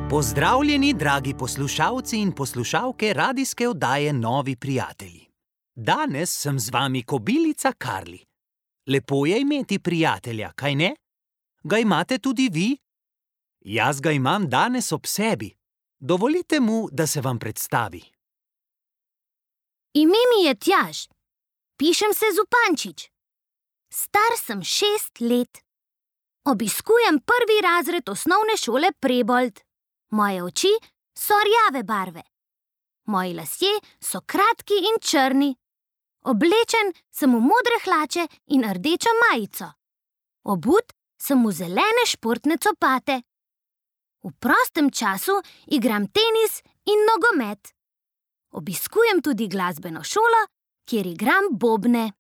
Pozdravljeni, dragi poslušalci in poslušalke radijske oddaje Novi prijatelji. Danes sem z vami kobilica Karli. Lepo je imeti prijatelja, kaj ne? Ga imate tudi vi? Jaz ga imam danes ob sebi. Dovolite mu, da se vam predstavi. Ime mi je Tjaž. Pišem se Zupančič. Star sem 6 let. Obiskujem 1. razred osnovne šole Prebold. Moje oči so rjave barve. Moji lasje so kratki in črni. Oblečen sem v modre hlače in rdečo majico. Obut sem v zelene športne copate. V prostem času igram tenis in nogomet. Obiskujem tudi glasbeno šolo, kjer igram bobne.